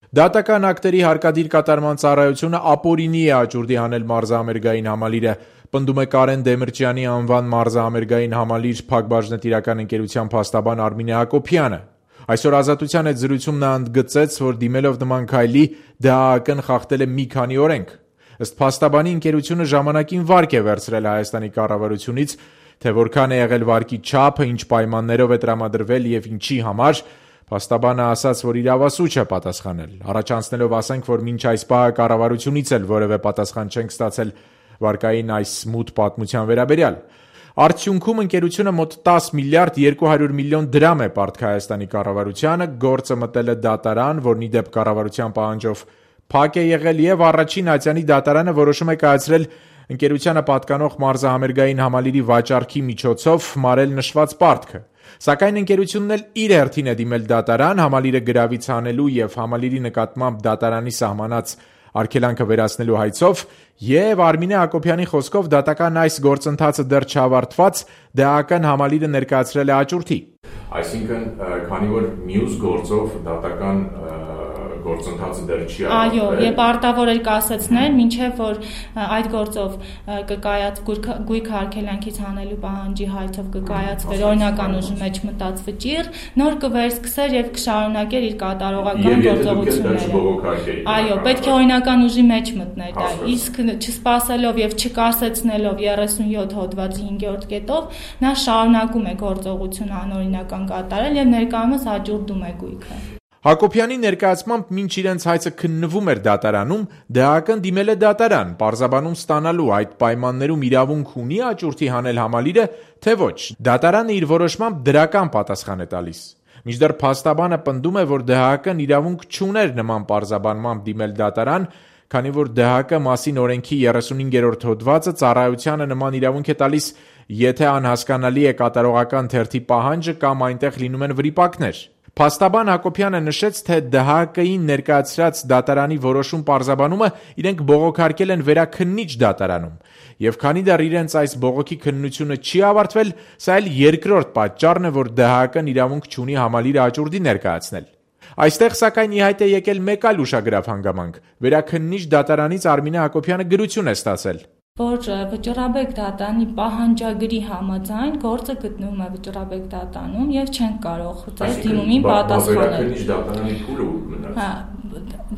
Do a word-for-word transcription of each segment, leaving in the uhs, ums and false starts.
Դատական ակտերի հարկադիր կատարման ծառայությունը ապօրինի է աճուրդի հանել մարզահամերգային համալիրը, պնդում է Կարեն Դեմիրճյանի անվան մարզահամերգային համալիր փակbaşնետիրական ընկերության փաստաբան Արմինե Հակոբյանը։ Այսօր Ազատության հետ զրույցում նա ընդգծեց, որ դիմելով նման քայլի ԴՀԱԿ-ն խախտել է մի քանի օրենք։ Ըստ փաստաբանի ընկերությունը ժամանակին վարկ է վերցրել Հայաստանի կառավարությունից, թե որքան է եղել վարկի չափը, ինչ պայմաններով է տրամադրվել եւ ինչի համար, փաստաբանը ասաց, որ իրավասու չէ պատասխանել, առաջանցնելով ասենք, որ մինչ այս պահը կառավարությունից էլ որևէ պատասխան չենք ստացել վարկային այս մութ պատմության վերաբերյալ։ Արդյունքում ընկերությունը մոտ տաս միլիարդ երկու հարյուր միլիոն դրամ է պարտք Հայաստանի կառավարությանը, գործը մտել է դատարան, որն ի դեպ կառավարության պահանջով փակ է եղել եւ առաջին ատյանի դատարանը որոշում է կայացրել ընկերությանը պատկանող մարզահամերգային համալիրի վաճառքի միջոցով մարել նշված պարտքը։ Սակայն ընկերությունն էլ իր հերթին է դիմել դատարան համալիրը գրավից հանելու եւ համալիրի նկատմամբ դատարանի սահմանած արգելանքը վերացնելու հայցով եւ Արմինե Հակոբյանի խոսքով դատական այս գործընթացը դեռ չավարտված ԴՀԱԿ-ն համալիրը ներկայացրել է աճուրդի։ Այսինքն, քանի որ մյուս գործով դատական գործընթացը դեռ չի Այո, եւ պարտավոր էր կասեցնել, մինչեւ որ այդ գործով կկայաց գույք արգելանքից հանելու պահանջի հայցով կկայացվեր օրինական ուժի մեջ մտած վճիռ, նոր կվերսկսեր եւ կշարունակեր իր կատարողական գործողությունները։ Այո, պետք է օրինական ուժի մեջ մտներ դա, իսկ չսպասելով եւ չկասեցնելով երեսունյոթ հոդվածի հինգերորդ կետով նա շարունակում է գործողություն անօրինական կատարել եւ ներկայումս աճուրդում է գույքը։ Հակոբյանի ներկայացմամբ մինչ իրենց հայցը քննվում էր դատարանում, ԴՀԱԿ-ն դիմել է դատարան, պարզաբանում ստանալու այդ պայմաններում իրավունք ունի աճուրդի հանել համալիրը, թե ոչ։ Դատարանը իր որոշմամբ դրական պատասխան է տալիս։ Մինչդեռ փաստաբանը պնդում է, որ ԴՀԱԿ-ն իրավունք չուներ նման պարզաբանմամբ դիմել դատարան, քանի որ ԴՀԱԿ մասին օրենքի երեսունհինգերորդ հոդվածը ծառայությանը նման իրավունք է տալիս, եթե անհասկանալի է կատարողական թերթի պահանջը կամ այնտեղ լինում են վրիպակներ։ Փաստաբան Հակոբյանը նշեց, թե ԴՀԱԿ-ին ներկայացրած դատարանի որոշում պարզաբանումը իրենք բողոքարկել են վերաքննիչ դատարանում, եւ քանի դեռ իրենց այս բողոքի քննությունը չի ավարտվել, սա էլ երկրորդ պատճառն է, որ ԴՀԱԿ-ն իրավունք չունի համալիրը աճուրդի ներկայացնել։ Այստեղ սակայն ի հայտ է եկել մեկ այլ ուշագրավ հանգամանք։ Վերաքննիչ դատարանից Արմինե Հակոբյանը գրություն է ստացել, որ վճռաբեկ դատանի պահանջագրի համաձայն գործը գտնվում է վճռաբեկ դատանում եւ չեն կարող ձեր դիմումին պատասխանել։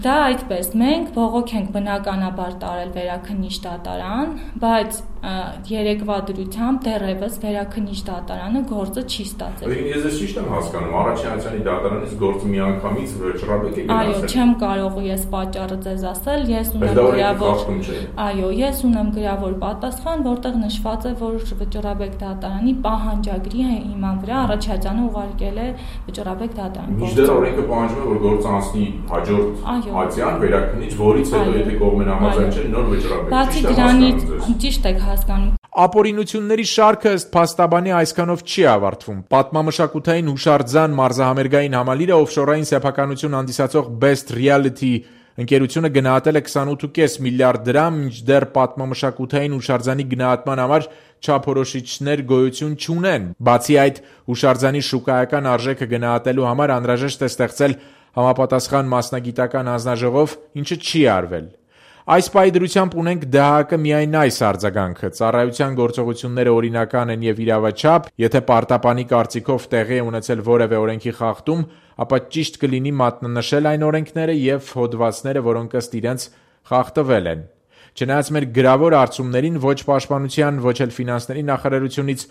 Դա այդպես, մենք բողոք ենք բնականաբար տարել վերաքննիչ դատարան, բայց երեկվա դրությամբ դեռևս վերաքննիչ դատարանը գործը չի ստացել։ Ես ես ճիշտ եմ հասկանում, առաջին ատյանի դատարանից գործը միանգամից վճռաբեկ է գնացել։ Այո, չեմ կարող ես պատճառը ձեզ ասել, ես ունեմ գրավոր։ Այո, ես ունեմ գրավոր պատասխան, որտեղ նշված է, որ վճռաբեկ դատարանի պահանջագրի հիման վրա առաջադյանը ուղարկել է վճռաբեկ դատարան։ Մինչդեռ օրենքը պահանջում է, որ գործը անցնի հաջորդ ատյան վերաքննիչ, որից հետո եթե կողմեն համաձայն չեն, նոր վճռաբեկ։ Բացի դրանից ճիշտ եք հասկանում։ Ապօրինությունների շարքը ըստ փաստաբանի այսքանով չի ավարտվում։ Պատմամշակութային հուշարձան մարզահամերգային համալիրը օֆշորային սեփականություն հանդիսացող Best Reality ընկերությունը գնահատել է քսանութ ու կես միլիարդ դրամ, մինչդեռ պատմամշակութային հուշարձանի գնահատման համար չափորոշիչներ գոյություն չունեն։ Բացի այդ, հուշարձանի շուկայական արժեքը գնահատելու համար անհրաժեշտ է ստեղծել համապատասխան մասնագիտական հանձնաժողով, ինչը չի արվել։ Այս պայդրությամբ ունենք ԴՀԱԿ միայն այս արձագանքը, ծառայության գործողությունները օրինական են եւ իրավաչափ, եթե պարտապանի կարծիքով տեղի է ունեցել որևէ օրենքի խախտում, ապա ճիշտ կլինի մատնանշել այն օրենքները եւ հոդվածները, որոնք ըստ իրենց խախտվել են։ Չնայած մեր գրավոր արծումներին ոչ պաշտպանության, ոչ էլ ֆինանսների նախարարությունից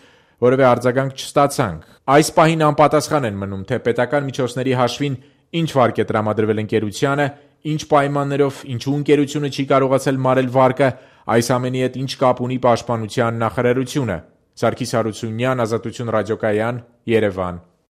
որևէ արձագանք չստացանք։ Այս պահին անպատասխան են մնում, թե պետական միջոցների հաշվին ինչ վարկ է տրամադրվել ընկերությանը, ինչ պայմաններով, ինչու ընկերությունը չի կարողացել մարել վարկը, այս ամենի հետ ինչ կապ ունի պաշտպանության նախարարությունը։ Սարգիս Հարությունյան, Ազատություն ռադիոկայան, Երևան։